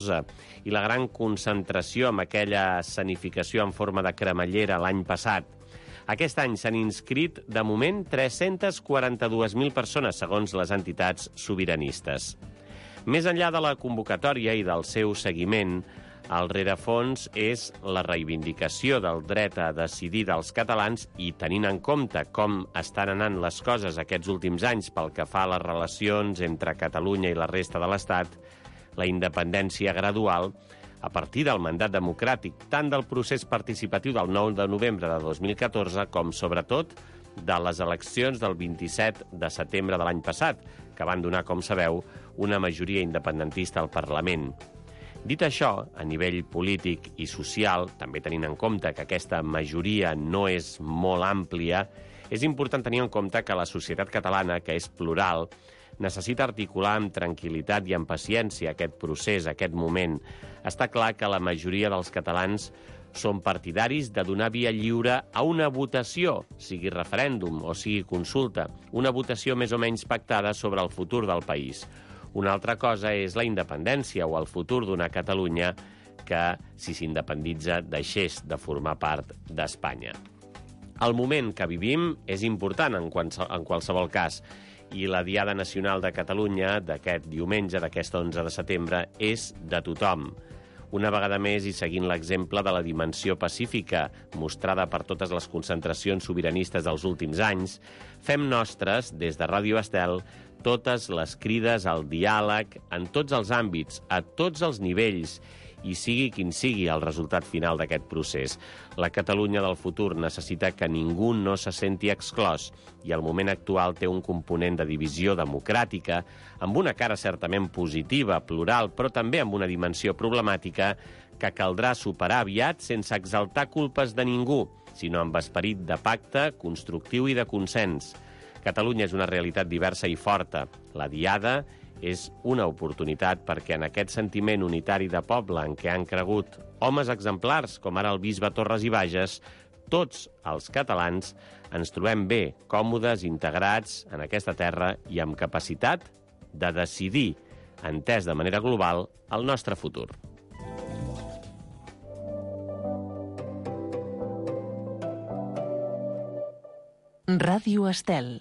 i la gran concentració amb aquella escenificació en forma de cremallera l'any passat. Aquest any s'han inscrit, de moment, 342.000 persones, segons les entitats sobiranistes. Més enllà de la convocatòria i del seu seguiment, el rerefons és la reivindicació del dret a decidir dels catalans i, tenint en compte com estan anant les coses aquests últims anys pel que fa a les relacions entre Catalunya i la resta de l'Estat, la independència gradual, a partir del mandat democràtic, tant del procés participatiu del 9 de novembre de 2014 com, sobretot, de les eleccions del 27 de setembre de l'any passat, que van donar, com sabeu, una majoria independentista al Parlament. Dit això, a nivell polític i social, també tenint en compte que aquesta majoria no és molt àmplia, és important tenir en compte que la societat catalana, que és plural, necessita articular amb tranquil·litat i amb paciència aquest procés, aquest moment. Està clar que la majoria dels catalans són partidaris de donar via lliure a una votació, sigui referèndum o sigui consulta, una votació més o menys pactada sobre el futur del país. Una altra cosa és la independència o el futur d'una Catalunya que, si s'independitza, deixés de formar part d'Espanya. El moment que vivim és important en qualsevol cas, i la Diada Nacional de Catalunya d'aquest diumenge, d'aquest 11 de setembre, és de tothom. Una vegada més, i seguint l'exemple de la dimensió pacífica mostrada per totes les concentracions sobiranistes dels últims anys, fem nostres, des de Ràdio Estel, totes les crides al diàleg en tots els àmbits, a tots els nivells, i sigui quin sigui el resultat final d'aquest procés. La Catalunya del futur necessita que ningú no se senti exclòs, i el moment actual té un component de divisió democràtica, amb una cara certament positiva, plural, però també amb una dimensió problemàtica que caldrà superar aviat sense exaltar culpes de ningú, sinó amb esperit de pacte, constructiu i de consens. Catalunya és una realitat diversa i forta. La Diada és una oportunitat perquè en aquest sentiment unitari de poble en què han cregut homes exemplars, com ara el bisbe Torres i Bages, tots els catalans ens trobem bé, còmodes, integrats en aquesta terra i amb capacitat de decidir, entès de manera global, el nostre futur. Ràdio Estel.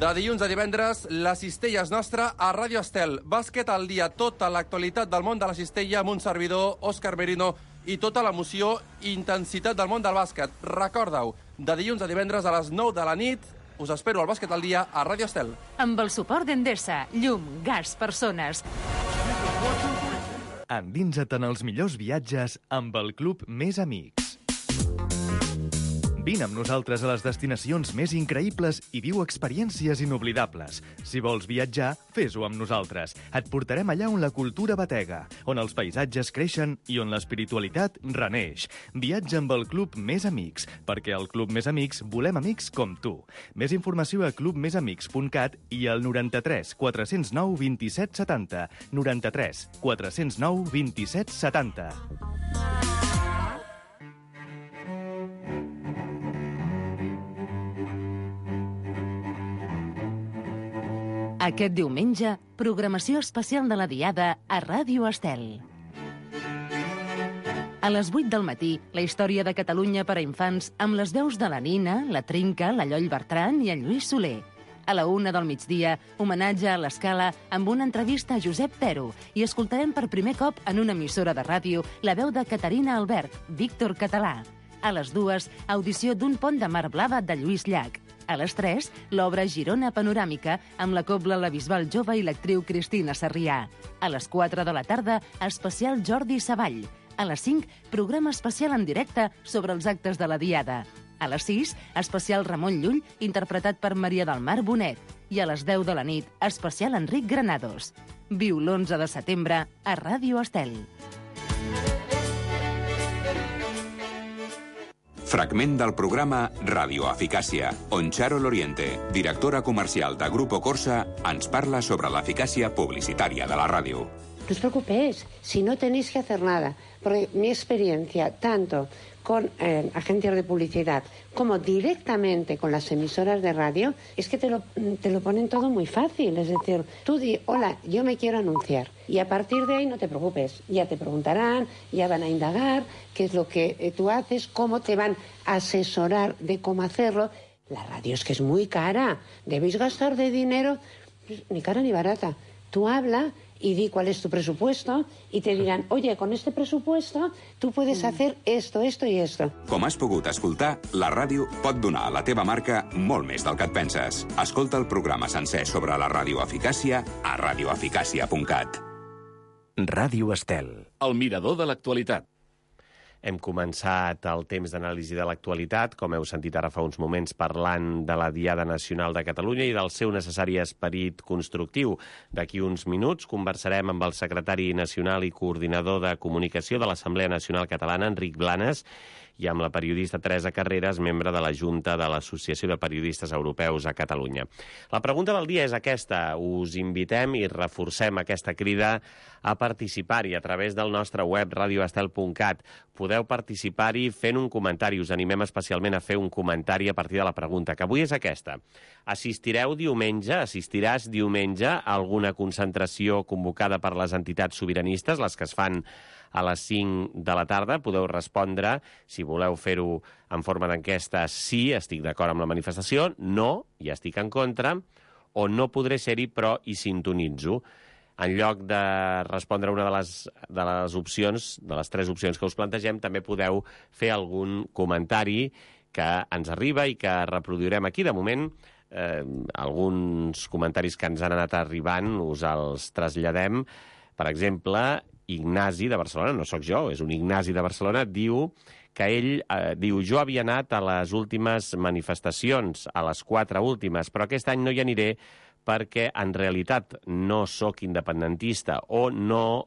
De dilluns a divendres, la cistella és nostra a Ràdio Estel. Bàsquet al dia, tota l'actualitat del món de la cistella amb un servidor, Òscar Merino, i tota l'emoció i intensitat del món del bàsquet. Recorda-ho, de dilluns a divendres a les 9 de la nit, us espero al Bàsquet al dia a Ràdio Estel. Amb el suport d'Endesa, llum, gas, persones. Endinsa't en els millors viatges amb el Club Més Amics. Vine amb nosaltres a les destinacions més increïbles i viu experiències inoblidables. Si vols viatjar, fes-ho amb nosaltres. Et portarem allà on la cultura batega, on els paisatges creixen i on l'espiritualitat reneix. Viatja amb el Club Més Amics, perquè al Club Més Amics volem amics com tu. Més informació a clubmesamics.cat i al 93 409 27 70. 93 409 27 70. Aquest diumenge, programació especial de la Diada a Ràdio Estel. A les 8 del matí, la història de Catalunya per a infants amb les veus de la Nina, la Trinca, la Lloll Bertran i en Lluís Soler. A la 1 del migdia, homenatge a l'Escala amb una entrevista a Josep Pero i escoltarem per primer cop en una emissora de ràdio la veu de Caterina Albert, Víctor Català. A les 2, audició d'un pont de Mar Blava de Lluís Llach. A les 3, l'obra Girona Panoràmica amb la cobla La Bisbal Jove i l'actriu Cristina Sarrià. A les 4 de la tarda, especial Jordi Savall. A les 5, programa especial en directe sobre els actes de la Diada. A les 6, especial Ramon Llull, interpretat per Maria del Mar Bonet. I a les 10 de la nit, especial Enric Granados. Viu l'11 de setembre a Ràdio Estel. Fragment del programa Radio Eficàcia, on Charo Loriente, directora comercial de Grupo Corsa, ens parla sobre l'eficàcia publicitària de la ràdio. os preocupéis, si no tenéis que hacer nada. Porque mi experiencia, tanto con agencias de publicidad como directamente con las emisoras de radio, es que te lo ponen todo muy fácil. Es decir, tú di, hola, yo me quiero anunciar. Y a partir de ahí no te preocupes. Ya te preguntarán, ya van a indagar qué es lo que tú haces, cómo te van a asesorar de cómo hacerlo. La radio es que es muy cara. Debéis gastar de dinero, ni cara ni barata. Tú habla y di cuál es tu presupuesto y te dirán, oye, con este presupuesto tu puedes hacer esto, esto i esto. Com has pogut escoltar, la ràdio pot donar a la teva marca molt més del que et penses. Escolta el programa sencer sobre la radioeficàcia a radioeficàcia.cat. Ràdio Estel. El mirador de l'actualitat. Hem començat el temps d'anàlisi de l'actualitat, com heu sentit ara fa uns moments, parlant de la Diada Nacional de Catalunya i del seu necessari esperit constructiu. D'aquí uns minuts conversarem amb el secretari nacional i coordinador de comunicació de l'Assemblea Nacional Catalana, Enric Blanes, i amb la periodista Teresa Carreras, membre de la Junta de l'Associació de Periodistes Europeus a Catalunya. La pregunta del dia és aquesta. Us invitem i reforcem aquesta crida a participar-hi a través del nostre web radioestel.cat. Podeu participar-hi fent un comentari. Us animem especialment a fer un comentari a partir de la pregunta, que avui és aquesta. Assistiràs diumenge a alguna concentració convocada per les entitats sobiranistes, les que es fan a les 5 de la tarda? Podeu respondre, si voleu fer-ho en forma d'enquesta, sí, estic d'acord amb la manifestació, no, i estic en contra, o no podré ser-hi, però hi sintonitzo. En lloc de respondre una de les opcions, de les 3 opcions que us plantegem, també podeu fer algun comentari que ens arriba i que reproduirem aquí. De moment, alguns comentaris que ens han anat arribant us els traslladem. Per exemple, Ignasi de Barcelona, no sóc jo, és un Ignasi de Barcelona, diu que ell jo havia anat a les últimes manifestacions, a les 4 últimes, però aquest any no hi aniré perquè en realitat no sóc independentista o no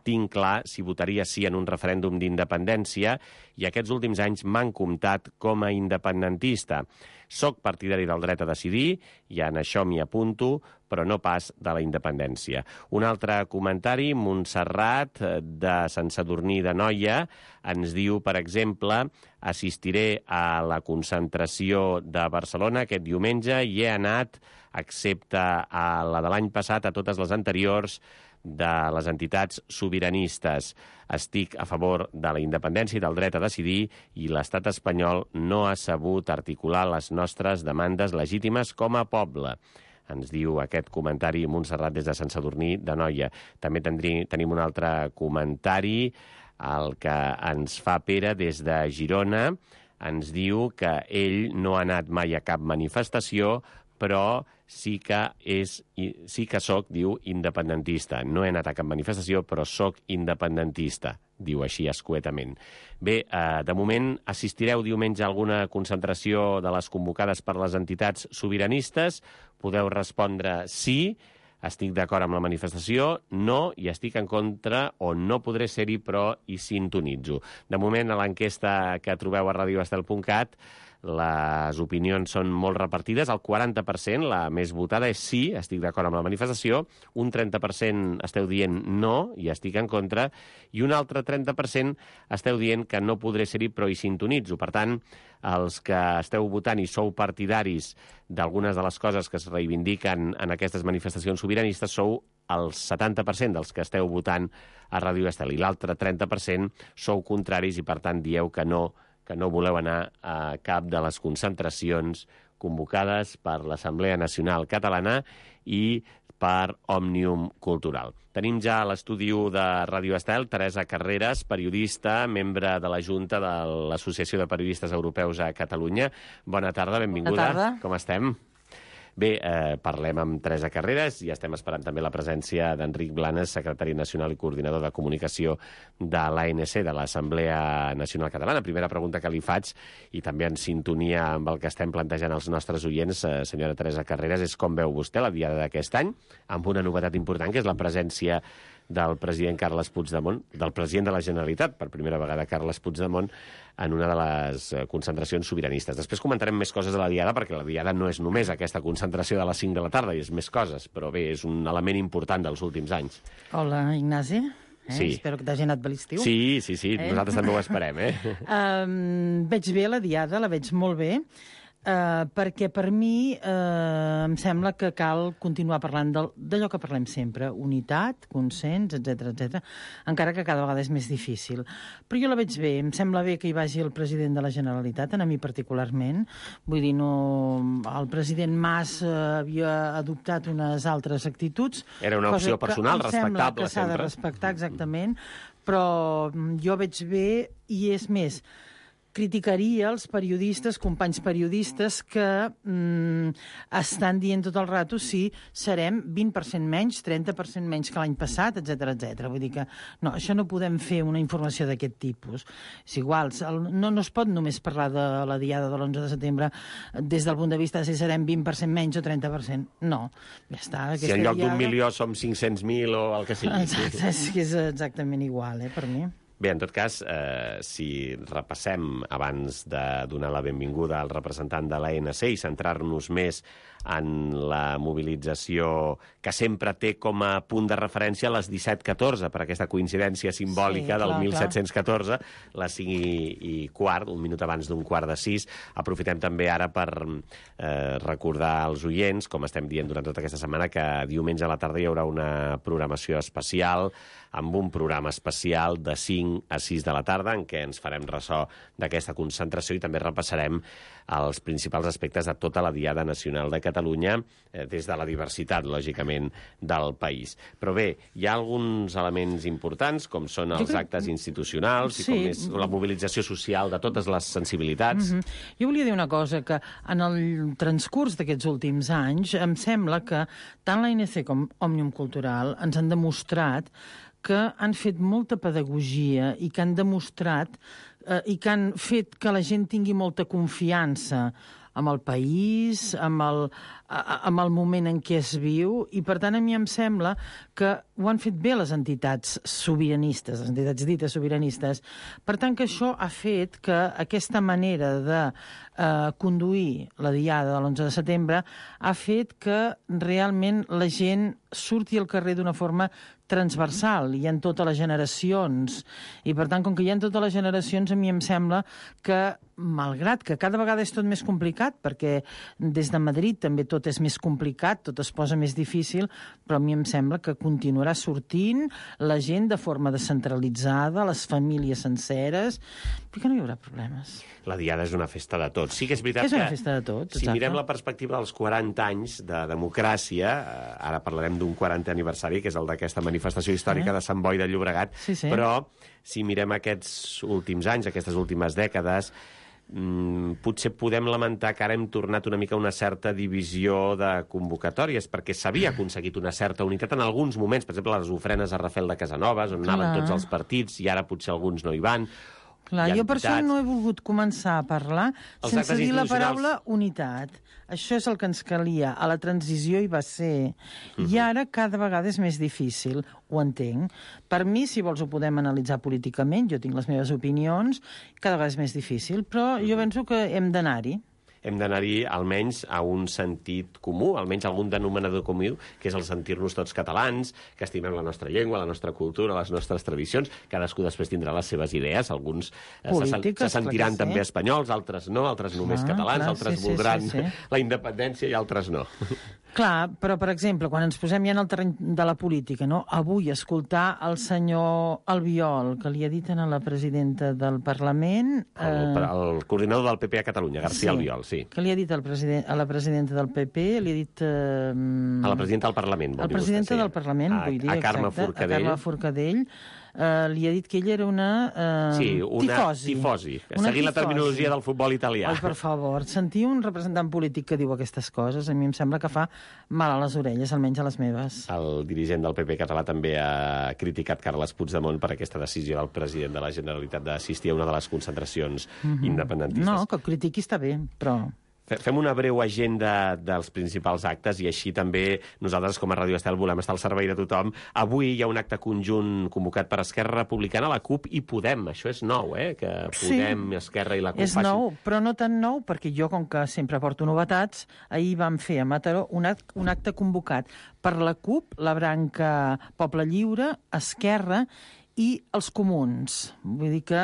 tinc clar si votaria sí en un referèndum d'independència i aquests últims anys m'han comptat com a independentista. Soc partidari del dret a decidir i en això m'hi apunto, però no pas de la independència. Un altre comentari, Montserrat, de Sant Sadurní d'Anoia, ens diu, per exemple, assistiré a la concentració de Barcelona aquest diumenge i he anat, excepte a la de l'any passat, a totes les anteriors de les entitats sobiranistes. Estic a favor de la independència i del dret a decidir i l'estat espanyol no ha sabut articular les nostres demandes legítimes com a poble. Ens diu aquest comentari Montserrat des de Sant Sadurní d'Anoia. També tenim un altre comentari, el que ens fa Pere des de Girona. Ens diu que ell no ha anat mai a cap manifestació, però sí que soc, diu, independentista. No he anat a cap manifestació, però soc independentista, diu així escuetament. Bé, de moment assistireu diumenge a alguna concentració de les convocades per les entitats sobiranistes. Podeu respondre sí, estic d'acord amb la manifestació, no, i estic en contra o no podré ser-hi, però hi sintonitzo. De moment, a l'enquesta que trobeu a radioestel.cat, les opinions són molt repartides. El 40%, la més votada, és sí, estic d'acord amb la manifestació. Un 30% esteu dient no, i estic en contra. I un altre 30% esteu dient que no podré ser-hi, però hi sintonitzo. Per tant, els que esteu votant i sou partidaris d'algunes de les coses que es reivindiquen en aquestes manifestacions sobiranistes sou el 70% dels que esteu votant a Ràdio Estel. I l'altre 30% sou contraris i, per tant, dieu que no voleu anar a cap de les concentracions convocades per l'Assemblea Nacional Catalana i per Òmnium Cultural. Tenim ja a l'estudi de Ràdio Estel Teresa Carreras, periodista, membre de la Junta de l'Associació de Periodistes Europeus a Catalunya. Bona tarda, benvinguda. Bona tarda. Com estem? Bé, parlem amb Teresa Carreras i estem esperant també la presència d'Enric Blanes, secretari nacional i coordinador de comunicació de l'ANC, de l'Assemblea Nacional Catalana. Primera pregunta que li faig, i també en sintonia amb el que estem plantejant als nostres oients, senyora Teresa Carreras, és com veu vostè la diada d'aquest any, amb una novetat important, que és la presència del president Carles Puigdemont, del president de la Generalitat, per primera vegada Carles Puigdemont, en una de les concentracions sobiranistes. Després comentarem més coses de la Diada, perquè la Diada no és només aquesta concentració de les 5 de la tarda, i és més coses, però bé, és un element important dels últims anys. Hola, Ignasi. Sí. Espero que t'hagi anat bé l'estiu. Sí. Nosaltres també ho esperem, Veig bé la Diada, la veig molt bé, perquè per mi em sembla que cal continuar parlant d'allò que parlem sempre, unitat, consens, etc, encara que cada vegada és més difícil. Però jo la veig bé, em sembla bé que hi vagi el president de la Generalitat, a mi particularment. Vull dir, no, el president Mas havia adoptat unes altres actituds. Era una opció personal, respectable, que s'ha de respectar, exactament, però jo veig bé, i és més, criticaria els periodistes, companys periodistes, que estan dient tot el rato si serem 20% menys, 30% menys que l'any passat, etc. Vull dir que no, això no podem fer una informació d'aquest tipus. És igual, no es pot només parlar de la Diada de l'11 de setembre des del punt de vista de si serem 20% menys o 30%. No, ja està. Si en lloc d'un milió som 500.000 o el que sigui. Exacte, és exactament igual, per mi. Bé, en tot cas, si repassem, abans de donar la benvinguda al representant de l'ANC i centrar-nos més en la mobilització que sempre té com a punt de referència les 17:14, per aquesta coincidència simbòlica del 1714, les 5:15, un minut abans d'un 5:15. Aprofitem també ara per recordar als oients, com estem dient durant tota aquesta setmana, que diumenge a la tarda hi haurà una programació especial, amb un programa especial de 5 a 6 de la tarda, en què ens farem ressò d'aquesta concentració i també repassarem els principals aspectes de tota la Diada Nacional de Catalunya, des de la diversitat, lògicament, del país. Però bé, hi ha alguns elements importants, com són els actes institucionals i com és la mobilització social de totes les sensibilitats. Jo volia dir una cosa, que en el transcurs d'aquests últims anys em sembla que tant l'ANC com Òmnium Cultural ens han demostrat que han fet molta pedagogia i que han demostrat i que han fet que la gent tingui molta confiança amb el país, amb el moment en què es viu, i per tant a mi em sembla que ho han fet bé les entitats sobiranistes, les entitats dites sobiranistes. Per tant que això ha fet que aquesta manera de conduir la Diada de l'11 de setembre ha fet que realment la gent surti al carrer d'una forma transversal, hi ha totes les generacions, i per tant, com que hi ha totes les generacions, a mi em sembla que, malgrat que cada vegada és tot més complicat, perquè des de Madrid també tot és més complicat, tot es posa més difícil, però a mi em sembla que continuarà sortint la gent de forma descentralitzada, les famílies senceres, perquè no hi haurà problemes. La Diada és una festa de tots. Sí que és veritat és una festa de tots, si mirem la perspectiva dels 40 anys de democràcia, ara parlarem d'un 40è aniversari, que és el d'aquesta manifestació històrica de Sant Boi de Llobregat, però si mirem aquests últims anys, aquestes últimes dècades, potser podem lamentar que ara hem tornat una mica a una certa divisió de convocatòries, perquè s'havia aconseguit una certa unitat en alguns moments, per exemple, les ofrenes a Rafel de Casanovas, on anaven tots els partits, i ara potser alguns no hi van. Clar, jo per això no he volgut començar a parlar sense dir la paraula unitat. Això és el que ens calia. A la transició hi va ser. I ara cada vegada és més difícil, ho entenc. Per mi, si vols, ho podem analitzar políticament, jo tinc les meves opinions, cada vegada és més difícil, però jo penso que hem d'anar-hi. Hem d'anar-hi almenys a un sentit comú, almenys a algun denominador comú, que és el sentir-nos tots catalans, que estimem la nostra llengua, la nostra cultura, les nostres tradicions. Cadascú després tindrà les seves idees. Alguns se sentiran també espanyols, altres no, altres només catalans, altres voldran la independència i altres no. Clar, però, per exemple, quan ens posem ja en el terreny de la política, no? Avui escoltar el senyor Albiol, que li ha dit a la presidenta del Parlament... El coordinador del PP a Catalunya, García Albiol, sí. Que li ha dit a la presidenta del PP, li ha dit... A la presidenta del Parlament, vol dir vostè. A la presidenta del Parlament, vull dir, a Carme Forcadell. A Carme Forcadell. Li ha dit que ella era una tifosi. Seguint la terminologia del futbol italià. Ai, per favor, sentir un representant polític que diu aquestes coses, a mi em sembla que fa mal a les orelles, almenys a les meves. El dirigent del PP català també ha criticat Carles Puigdemont per aquesta decisió del president de la Generalitat d'assistir a una de les concentracions independentistes. No, que critiqui està bé, però... Fem una breu agenda dels principals actes i així també nosaltres, com a Ràdio Estel, volem estar al servei de tothom. Avui hi ha un acte conjunt convocat per Esquerra Republicana, la CUP i Podem. Això és nou, que Podem, Esquerra i la CUP és nou, però no tan nou, perquè jo, com que sempre porto novetats, ahir vam fer a Mataró un acte convocat per la CUP, la branca Poble Lliure, Esquerra i els comuns. Vull dir que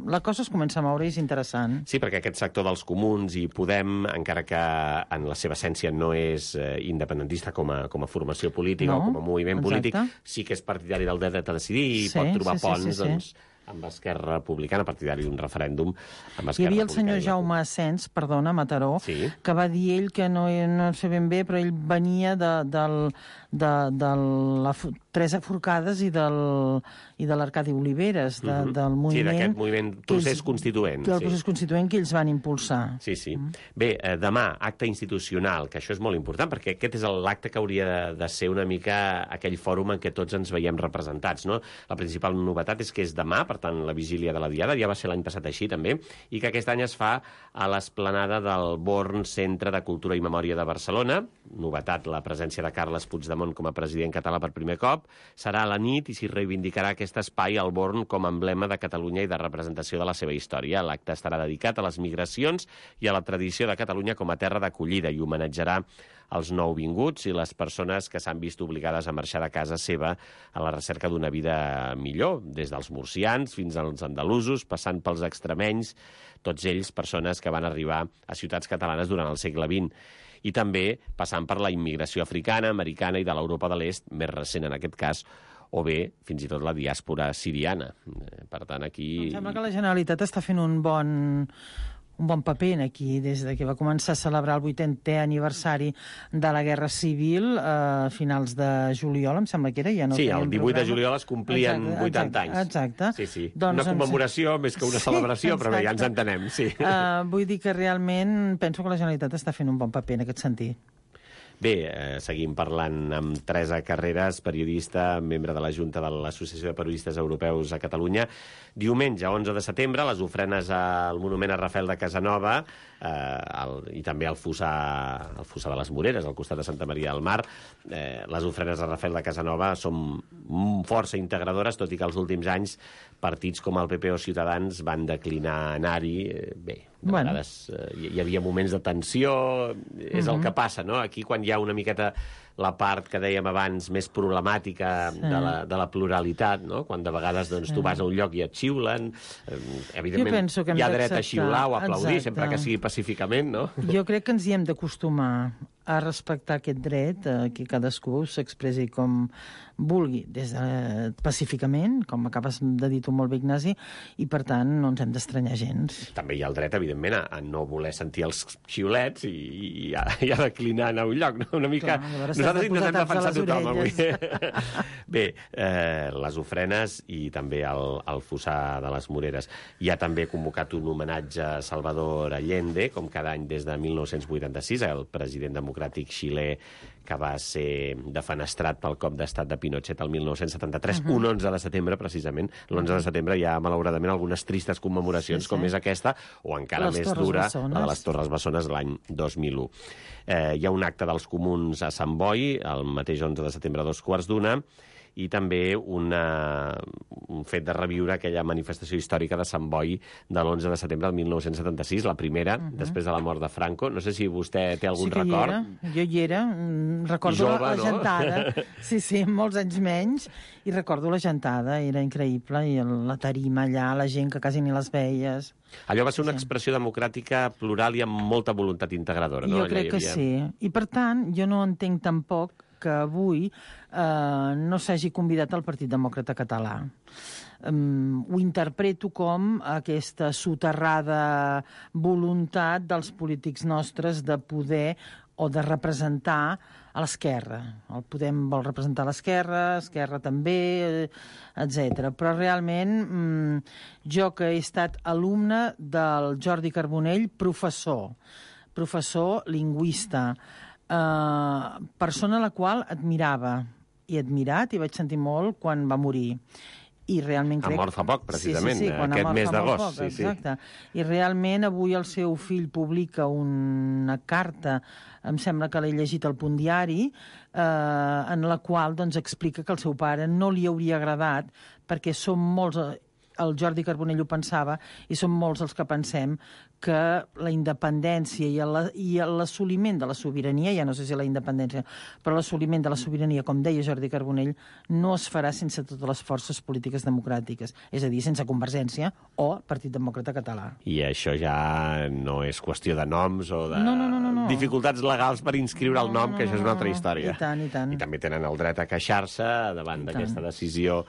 la cosa es comença a moure i és interessant. Sí, perquè aquest sector dels comuns i Podem, encara que en la seva essència no és independentista com a formació política o com a moviment polític, sí que és partidari del dret a decidir i pot trobar ponts, doncs, amb Esquerra Republicana, partidari d'un referèndum amb Esquerra Republicana. Hi havia el senyor Jaume Asens, perdona, Mataró, que va dir ell que no sé ben bé, però ell venia de la Teresa Forcades i de l'Arcadi Oliveres, del moviment... Sí, d'aquest moviment procés constituent. Del procés constituent que ells van impulsar. Sí. Bé, demà, acte institucional, que això és molt important, perquè aquest és l'acte que hauria de ser una mica aquell fòrum en què tots ens veiem representats, no? La principal novetat és que és demà, per tant, la vigília de la Diada, ja va ser l'any passat així, també, i que aquest any es fa a l'esplanada del Born Centre de Cultura i Memòria de Barcelona. Novetat, la presència de Carles Puigdemont com a president català per primer cop. Serà a la nit i s'hi reivindicarà aquest espai al Born com a emblema de Catalunya i de representació de la seva història. L'acte estarà dedicat a les migracions i a la tradició de Catalunya com a terra d'acollida i homenatjarà els nouvinguts i les persones que s'han vist obligades a marxar de casa seva a la recerca d'una vida millor, des dels murcians fins als andalusos, passant pels extremenys, tots ells persones que van arribar a ciutats catalanes durant el segle XX. I també passant per la immigració africana, americana i de l'Europa de l'Est, més recent en aquest cas, o bé, fins i tot la diàspora siriana. Per tant, aquí... Em sembla que la Generalitat està fent un bon paper aquí, des de que va començar a celebrar el 80è aniversari de la Guerra Civil a finals de juliol, em sembla que era. Ja no sí, el 18 de juliol es complien 80 anys. Exacte. Sí. Doncs, una commemoració més que una celebració, però bé, ja ens entenem, sí. Vull dir que realment penso que la Generalitat està fent un bon paper en aquest sentit. Bé, seguim parlant amb Teresa Carreras, periodista, membre de la Junta de l'Associació de Periodistes Europeus a Catalunya. Diumenge, 11 de setembre, les ofrenes al monument a Rafael de Casanova i també al Fossar de les Moreres, al costat de Santa Maria del Mar. Les ofrenes a Rafael de Casanova són força integradores, tot i que els últims anys partits com el PP o Ciutadans van declinar anar-hi. Bé, de vegades hi havia moments de tensió, és el que passa, no? Aquí, quan hi ha una miqueta la part que dèiem abans més problemàtica de la pluralitat, no? Quan de vegades doncs, tu vas a un lloc i et xiulen, evidentment hi ha dret a xiular o a aplaudir, sempre que sigui pacíficament, no? Jo crec que ens hi hem d'acostumar a respectar aquest dret, que cadascú s'expressi com vulgui, pacíficament, com acabes de dir tu molt bé, Ignasi, i per tant no ens hem d'estranyar gens. També hi ha el dret, evidentment, a no voler sentir els xiulets i a declinar anar a un lloc, no? Una mica... Nosaltres intentem defensar tothom avui. Bé, les ofrenes i també el Fossar de les Moreres. Hi ha també convocat un homenatge a Salvador Allende, com cada any des de 1986, el president democràtic xilè que va ser defenestrat pel cop d'estat de Pinochet el 1973, un 11 de setembre, precisament. L'11 de setembre hi ha, malauradament, algunes tristes commemoracions, com és aquesta, o encara més dura, la de les Torres Bessones, l'any 2001. Hi ha un acte dels comuns a Sant Boi, el mateix 11 de setembre a 2:15, i també un fet de reviure aquella manifestació històrica de Sant Boi de l'11 de setembre del 1976, la primera, després de la mort de Franco. No sé si vostè té algun record. Jo hi era. Recordo la gentada. Sí, molts anys menys. I recordo la gentada, era increïble. I la tarima allà, la gent que quasi ni les veies. Allò va ser una expressió democràtica plural i amb molta voluntat integradora, no? Jo crec que sí. I per tant, jo no entenc tampoc que avui no s'hagi convidat el Partit Demòcrata Català. Ho interpreto com aquesta soterrada voluntat dels polítics nostres de poder o de representar a l'esquerra. El Podem vol representar l'esquerra, Esquerra també, etc. Però realment jo que he estat alumne del Jordi Carbonell, professor lingüista, persona a la qual admirava, i admirat, i vaig sentir molt quan va morir. i realment crec... Ha mort fa poc, precisament, quan aquest mes d'agost. Poc, exacte. I realment avui el seu fill publica una carta, em sembla que l'he llegit al Punt Diari, en la qual explica que el seu pare no li hauria agradat, perquè som molts... El Jordi Carbonell ho pensava, i som molts els que pensem que la independència i l'assoliment de la sobirania, ja no sé si la independència, però l'assoliment de la sobirania, com deia Jordi Carbonell, no es farà sense totes les forces polítiques democràtiques, és a dir, sense Convergència o Partit Demòcrata Català. I això ja no és qüestió de noms o de dificultats legals per inscriure el nom, que això és una altra història. I tant, i tant. I també tenen el dret a queixar-se davant d'aquesta decisió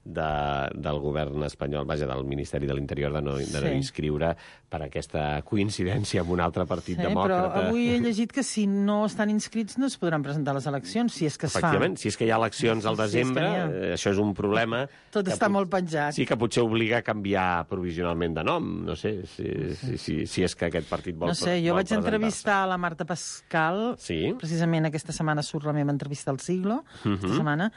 del govern espanyol, vaja, del Ministeri de l'Interior, de no inscriure per aquesta coincidència amb un altre partit demòcrata. Però avui he llegit que si no estan inscrits no es podran presentar les eleccions, si és que es fan. Efectivament, si és que hi ha eleccions al desembre, això és un problema... Tot està molt penjat. Sí, que potser obliga a canviar provisionalment de nom, no sé, si és que aquest partit vol presentar-se. No sé, jo vaig entrevistar la Marta Pascal, precisament aquesta setmana surt la meva entrevista al Siglo, aquesta setmana,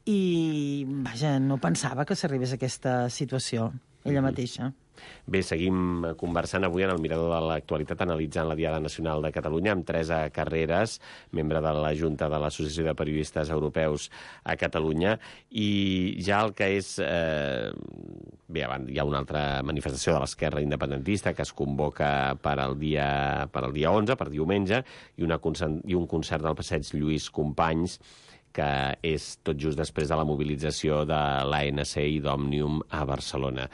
i, vaja, no pensava que s'arribés a aquesta situació, ella mateixa. Bé, seguim conversant avui en el Mirador de l'Actualitat, analitzant la Diada Nacional de Catalunya amb Teresa Carreras, membre de la Junta de l'Associació de Periodistes Europeus a Catalunya, i ja el que és... Bé, hi ha una altra manifestació de l'esquerra independentista que es convoca per al dia 11, per diumenge, i un concert del Passeig Lluís Companys, que és tot just després de la mobilització de l'ANC i d'Òmnium a Barcelona.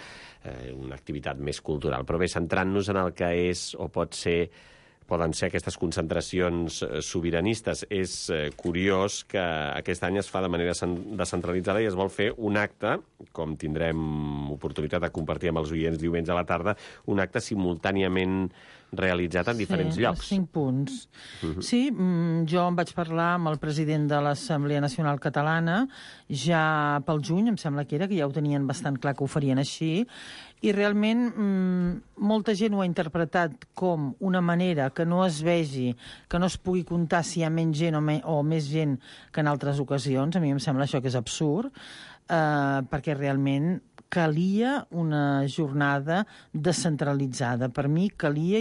Una activitat més cultural. Però bé, centrant-nos en el que és o poden ser aquestes concentracions sobiranistes, és curiós que aquest any es fa de manera descentralitzada i es vol fer un acte, com tindrem oportunitat de compartir amb els oients diumenge a la tarda, un acte simultàniament realitzat en diferents llocs. 5 punts. Sí, jo em vaig parlar amb el president de l'Assemblea Nacional Catalana ja pel juny, em sembla que ja ho tenien bastant clar que ho farien així, i realment molta gent ho ha interpretat com una manera que no es vegi, que no es pugui comptar si hi ha menys gent o més gent que en altres ocasions. A mi em sembla això que és absurd, perquè realment calia una jornada descentralitzada. Per mi calia,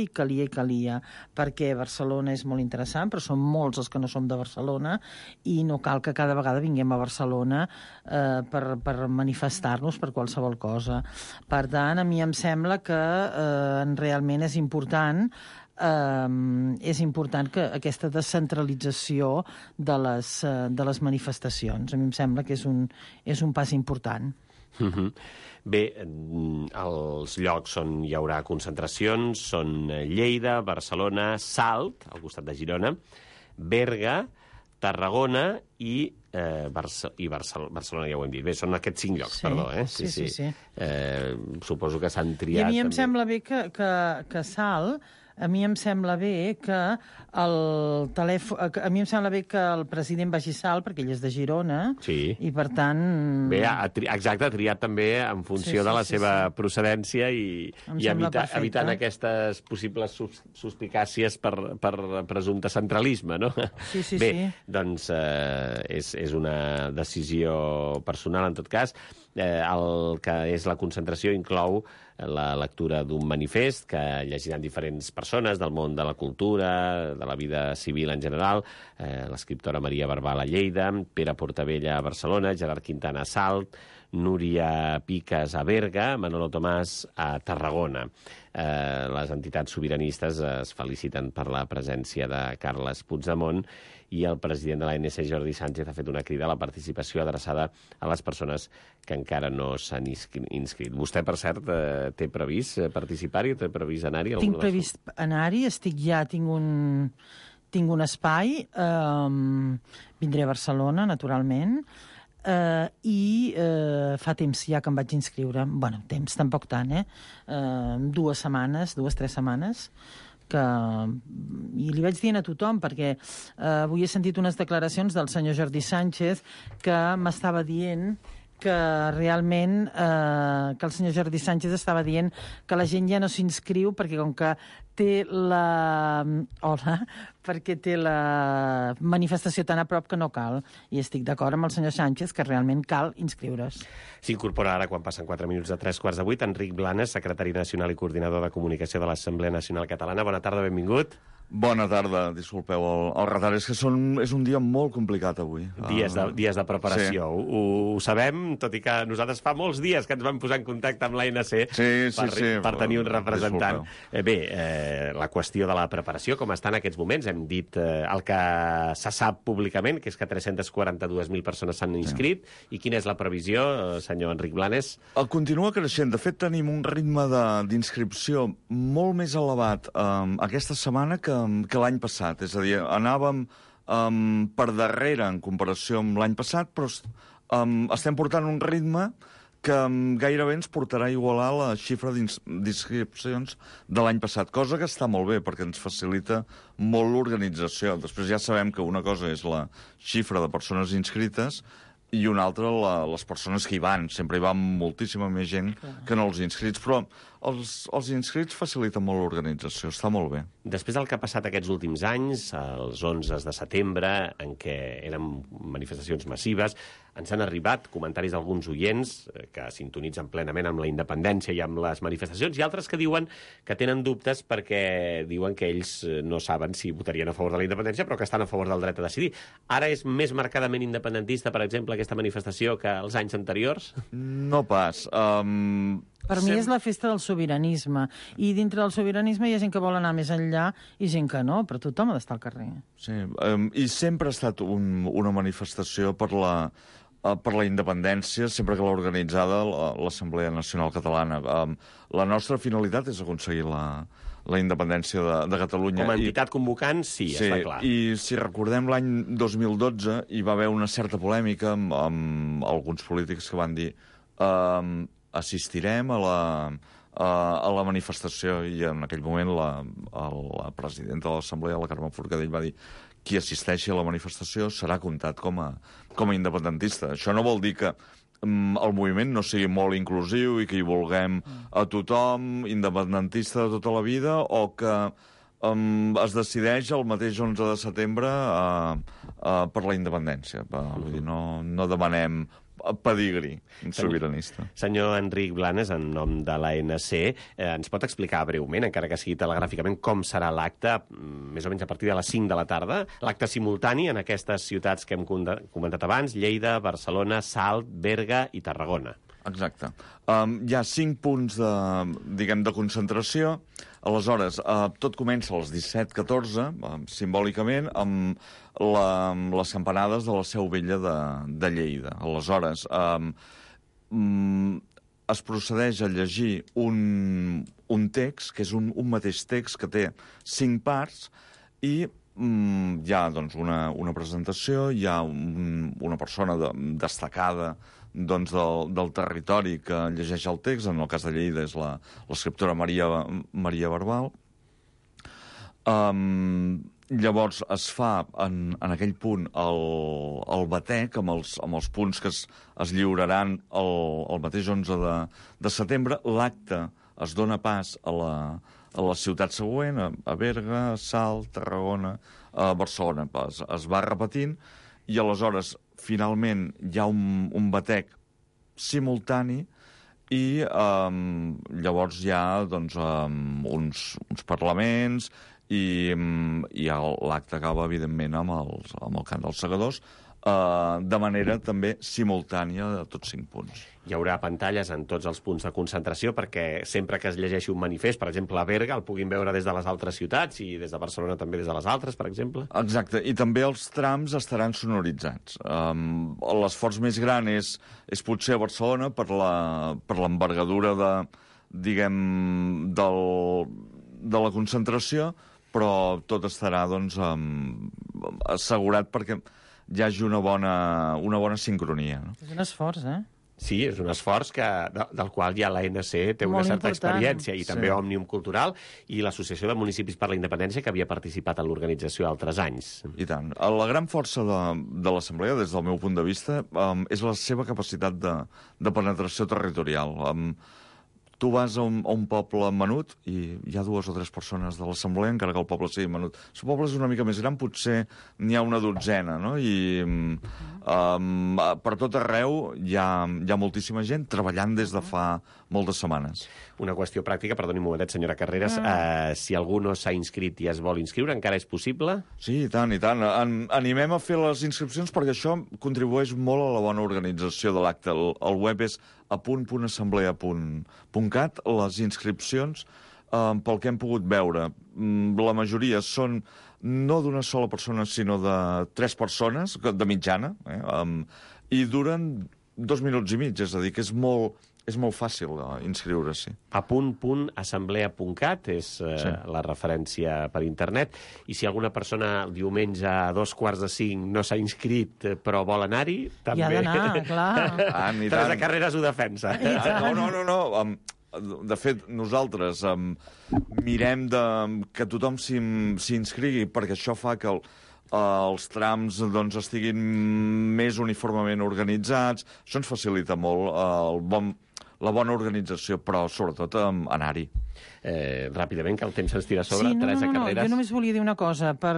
perquè Barcelona és molt interessant, però som molts els que no som de Barcelona i no cal que cada vegada vinguem a Barcelona per manifestar-nos per qualsevol cosa. Per tant, a mi em sembla que realment és important que aquesta descentralització de les manifestacions. A mi em sembla que és un pas important. Bé, els llocs on hi haurà concentracions són Lleida, Barcelona, Salt, al costat de Girona, Berga, Tarragona i Barcelona, ja ho hem dit. Bé, són aquests 5 llocs, perdó. Sí. Suposo que s'han triat... I a mi em sembla bé que Salt... A mi em sembla bé que el president vagi a Salt, perquè ell és de Girona, i per tant... Bé, exacte, ha triat també en funció de la seva procedència i evitant aquestes possibles suspicàcies per presumpte centralisme, no? Sí. Bé, doncs és una decisió personal, en tot cas. El que és la concentració inclou la lectura d'un manifest que llegiran diferents persones del món de la cultura, de la vida civil en general, l'escriptora Maria Barbal a Lleida, Pere Portabella a Barcelona, Gerard Quintana a Salt, Núria Piques a Berga, Manolo Tomàs a Tarragona. Les entitats sobiranistes es feliciten per la presència de Carles Puigdemont i el president de l'ANC, Jordi Sánchez, ha fet una crida a la participació adreçada a les persones que encara no s'han inscrit. Vostè, per cert, té previst participar-hi? Té previst anar-hi? Tinc previst anar-hi, tinc un espai, vindré a Barcelona, naturalment, i fa temps ja que em vaig inscriure. Bueno, temps, tampoc tant, 2 setmanes, 2-3 setmanes, i li vaig dient a tothom, perquè avui he sentit unes declaracions del senyor Jordi Sánchez que m'estava dient que realment que el senyor Jordi Sánchez estava dient que la gent ja no s'inscriu perquè com que té la manifestació tan a prop que no cal. I estic d'acord amb el senyor Sánchez que realment cal inscriure's. S'incorpora ara, quan passen 4 minuts de 3:15, Enric Blanes, secretari nacional i coordinador de comunicació de l'Assemblea Nacional Catalana. Bona tarda, benvingut. Bona tarda, disculpeu el retard. És que és un dia molt complicat avui. Dies de preparació. Sí. Ho sabem, tot i que nosaltres fa molts dies que ens vam posar en contacte amb l'ANC per tenir un representant. La qüestió de la preparació, com està en aquests moments, hem dit el que se sap públicament, que és que 342.000 persones s'han inscrit. I quina és la previsió, senyor Enric Blanes? Continua creixent. De fet, tenim un ritme d'inscripció molt més elevat aquesta setmana que l'any passat. És a dir, anàvem per darrere en comparació amb l'any passat, però estem portant un ritme que gairebé ens portarà a igualar la xifra d'inscripcions de l'any passat, cosa que està molt bé, perquè ens facilita molt l'organització. Després ja sabem que una cosa és la xifra de persones inscrites i una altra les persones que hi van. Sempre hi va moltíssima més gent que no els inscrits, però els inscrits faciliten molt l'organització, està molt bé. Després del que ha passat aquests últims anys, els 11 de setembre, en què eren manifestacions massives, ens han arribat comentaris d'alguns oients que sintonitzen plenament amb la independència i amb les manifestacions, i altres que diuen que tenen dubtes perquè diuen que ells no saben si votarien a favor de la independència, però que estan a favor del dret a decidir. Ara és més marcadament independentista, per exemple, aquesta manifestació que els anys anteriors? No pas. Per mi és la festa del sobiranisme. I dintre del sobiranisme hi ha gent que vol anar més enllà i gent que no, però tothom ha d'estar al carrer. Sí, i sempre ha estat una manifestació per la independència, sempre que l'ha organitzada l'Assemblea Nacional Catalana. La nostra finalitat és aconseguir la independència de Catalunya. Com a entitat convocant, sí, està clar. I si recordem l'any 2012 hi va haver una certa polèmica amb alguns polítics que van dir assistirem a la manifestació, i en aquell moment la presidenta de l'Assemblea, la Carme Forcadell, va dir qui assisteixi a la manifestació serà comptat com a independentista. Això no vol dir que el moviment no sigui molt inclusiu i que hi vulguem a tothom, independentista de tota la vida, o que es decideix el mateix 11 de setembre per la independència. Vull dir, no demanem pedigrí sobiranista. Senyor Enric Blanes, en nom de l'ANC, ens pot explicar breument, encara que sigui telegràficament, com serà l'acte, més o menys a partir de les 5 de la tarda, l'acte simultani en aquestes ciutats que hem comentat abans, Lleida, Barcelona, Salt, Berga i Tarragona? Exacte. Hi ha 5 punts de concentració. Aleshores, tot comença a les 17:14, simbòlicament, amb les campanades de la Seu Vella de Lleida. Aleshores, es procedeix a llegir un text, que és un mateix text que té 5 parts, i hi ha doncs, una presentació, hi ha una persona destacada del territori que llegeix el text. En el cas de Lleida és l'escriptora Maria Barbal. Llavors es fa en aquell punt el batec amb els punts que es lliuraran el mateix 11 de setembre. L'acte es dona pas a la ciutat següent, a Berga, Salt, Tarragona, Barcelona. Es va repetint i aleshores finalment hi ha un batec simultani i llavors hi ha uns parlaments i l'acte acaba, evidentment, amb el cant dels segadors, de manera també simultània de tots 5 punts. Hi haurà pantalles en tots els punts de concentració perquè sempre que es llegeixi un manifest, per exemple, a Berga, el puguin veure des de les altres ciutats i des de Barcelona també des de les altres, per exemple? Exacte, i també els trams estaran sonoritzats. L'esforç més gran és potser a Barcelona per l'envergadura de la concentració, però tot estarà assegurat perquè hi hagi una bona sincronia. És un esforç, eh? Sí, és un esforç del qual ja l'ANC té una Molt certa important. experiència, i també Òmnium Cultural i l'Associació de Municipis per la Independència, que havia participat en l'organització altres anys. I tant. La gran força de l'Assemblea, des del meu punt de vista, és la seva capacitat de penetració territorial. Tu vas a un poble menut i hi ha 2 o 3 persones de l'Assemblea, encara que el poble sigui menut. Si el poble és una mica més gran, potser n'hi ha una dotzena, no? I per tot arreu hi ha moltíssima gent treballant des de fa moltes setmanes. Una qüestió pràctica, perdoni un momentet, senyora Carreras, si algú no s'ha inscrit i es vol inscriure, encara és possible? Sí, i tant, i tant. Animem a fer les inscripcions perquè això contribueix molt a la bona organització de l'acte. El web és apunt.assemblea.cat. Les inscripcions, pel que hem pogut veure, la majoria són no d'una sola persona, sinó de 3 persones, de mitjana, i duren 2 minuts i mig, és a dir, que és molt fàcil inscriure-s'hi. apunt.assemblea.cat és la referència per internet, i si alguna persona el diumenge a 4:45 no s'ha inscrit però vol anar-hi, també... Hi ha d'anar, clar. Teresa Carreras ho defensa. No. De fet, nosaltres mirem que tothom s'hi inscrigui, perquè això fa que els trams estiguin més uniformement organitzats. Això ens facilita molt la bona organització, però sobretot anar-hi. Ràpidament, que el temps se'ns tira a sobre. Teresa Carreras. Jo només volia dir una cosa per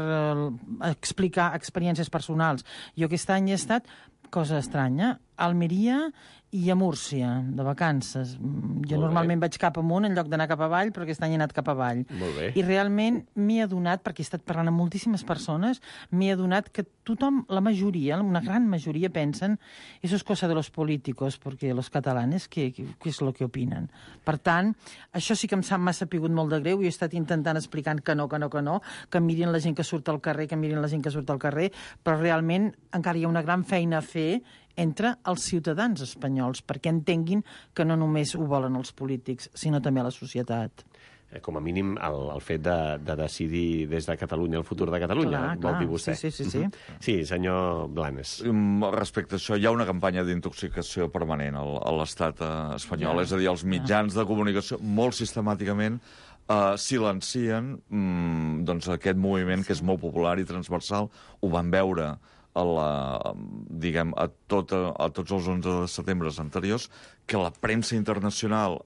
explicar experiències personals. Jo aquest any he estat, cosa estranya, a Almeria i a Múrcia, de vacances. Jo normalment vaig cap amunt en lloc d'anar cap avall, però aquest any he anat cap avall. Molt bé. I realment m'he adonat, perquè he estat parlant amb moltíssimes persones, m'he adonat que tothom, la majoria, una gran majoria, pensen eso es cosa de los políticos, porque los catalanes, ¿qué es lo que opinen? Per tant, això sí que m'ha sapigut molt de greu, i he estat intentant explicant que no, que mirin la gent que surt al carrer, però realment encara hi ha una gran feina a fer entre els ciutadans espanyols, perquè entenguin que no només ho volen els polítics, sinó també la societat. Com a mínim, el fet de decidir des de Catalunya el futur de Catalunya, vol dir vostè. Sí. Sí, senyor Blanes. Respecte a això, hi ha una campanya d'intoxicació permanent a l'estat espanyol, és a dir, els mitjans de comunicació molt sistemàticament silencien aquest moviment que és molt popular i transversal. Ho van veure a tots els 11 de setembre anteriors, que la premsa internacional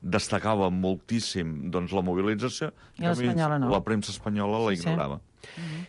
destacava moltíssim la mobilització, i l'espanyola no. La premsa espanyola la ignorava.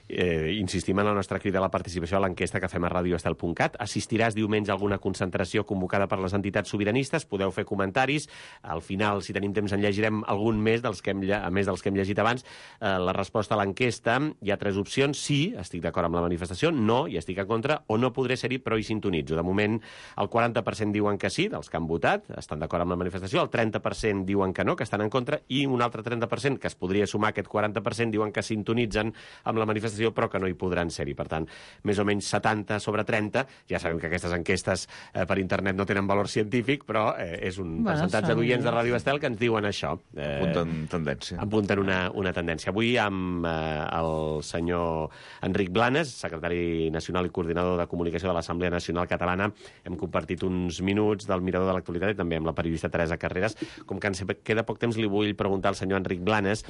Insistim en la nostra crida a la participació a l'enquesta que fem a radioestel.cat. Assistiràs diumenge a alguna concentració convocada per les entitats sobiranistes? Podeu fer comentaris. Al final, si tenim temps, en llegirem algun més a més dels que hem llegit abans. La resposta a l'enquesta, hi ha 3 opcions. Sí, estic d'acord amb la manifestació. No, hi estic en contra. O no podré ser-hi, però hi sintonitzo. De moment, el 40% diuen que sí, dels que han votat, estan d'acord amb la manifestació. El 30% diuen que no, que estan en contra. I un altre 30%, que es podria sumar a aquest 40%, diuen que sintonitzen amb la manifestació, però que no hi podran ser-hi. Per tant, més o menys 70 sobre 30. Ja sabem que aquestes enquestes per internet no tenen valor científic, però és un percentatge d'oients de Ràdio Estel que ens diuen això. Apunten tendència. Apunten una tendència. Avui amb el senyor Enric Blanes, secretari nacional i coordinador de comunicació de l'Assemblea Nacional Catalana, hem compartit uns minuts del Mirador de l'Actualitat i també amb la periodista Teresa Carreras. Com que ens queda poc temps, li vull preguntar al senyor Enric Blanes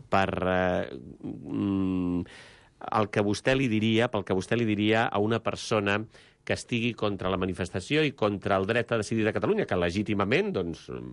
per pel que vostè li diria a una persona que estigui contra la manifestació i contra el dret a decidir de Catalunya, que legítimament,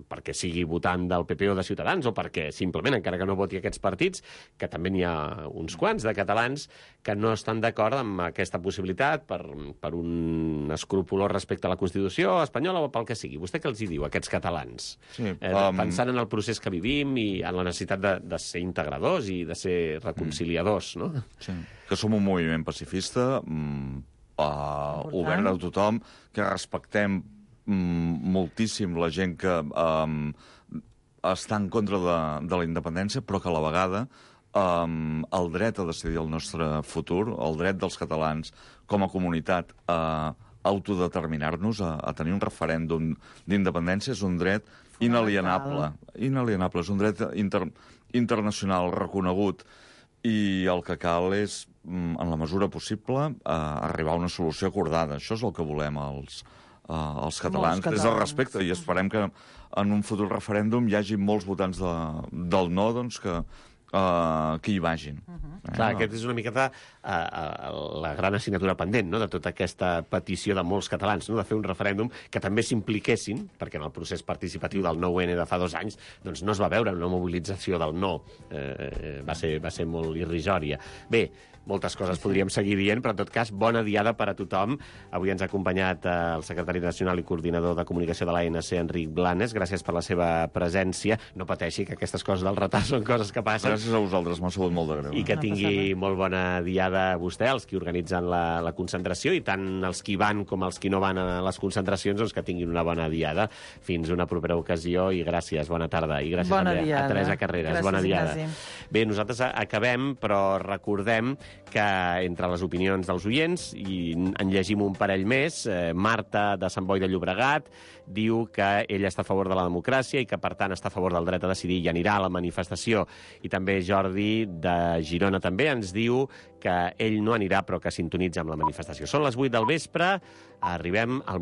perquè sigui votant del PP o de Ciutadans, o perquè simplement, encara que no voti aquests partits, que també n'hi ha uns quants de catalans que no estan d'acord amb aquesta possibilitat per un escrupolós respecte a la Constitució espanyola o pel que sigui. Vostè què els hi diu a aquests catalans? Sí, pensant en el procés que vivim i en la necessitat de ser integradors i de ser reconciliadors, no? Sí, que som un moviment pacifista, obert a tothom, que respectem moltíssim la gent que està en contra de la independència, però que a la vegada el dret a decidir el nostre futur, el dret dels catalans com a comunitat a autodeterminar-nos, a tenir un referèndum d'independència, és un dret inalienable. És un dret internacional reconegut, i el que cal és, en la mesura possible, arribar a una solució acordada. Això és el que volem els els catalans des del respecte, i esperem que en un futur referèndum hi hagi molts votants del no, doncs, que hi vagin. Clar, aquest és una miqueta la gran assignatura pendent, no?, de tota aquesta petició de molts catalans, no?, de fer un referèndum que també s'impliquessin, perquè en el procés participatiu del 9-N de fa 2 anys doncs no es va veure una mobilització del no. Va ser molt irrisòria. Bé, moltes coses podríem seguir dient, però en tot cas, bona diada per a tothom. Avui ens ha acompanyat el secretari nacional i coordinador de comunicació de l'ANC, Enric Blanes. Gràcies per la seva presència. No pateixi, que aquestes coses del retard són coses que passen. Gràcies a vosaltres, m'ha sabut molt de greu. I que tingui molt bona diada vostè, els que organitzen la concentració, i tant els que hi van com els que no van a les concentracions, doncs que tinguin una bona diada. Fins una propera ocasió i gràcies, bona tarda. I gràcies també a Teresa Carreras. Gràcies, bona diada. Bé, nosaltres acabem, però recordem que entre les opinions dels oients, i en llegim un parell més, Marta de Sant Boi de Llobregat diu que ella està a favor de la democràcia i que, per tant, està a favor del dret a decidir i anirà a la manifestació. I també Jordi de Girona també ens diu que ell no anirà, però que sintonitza amb la manifestació. Són les 8 del vespre, arribem al moment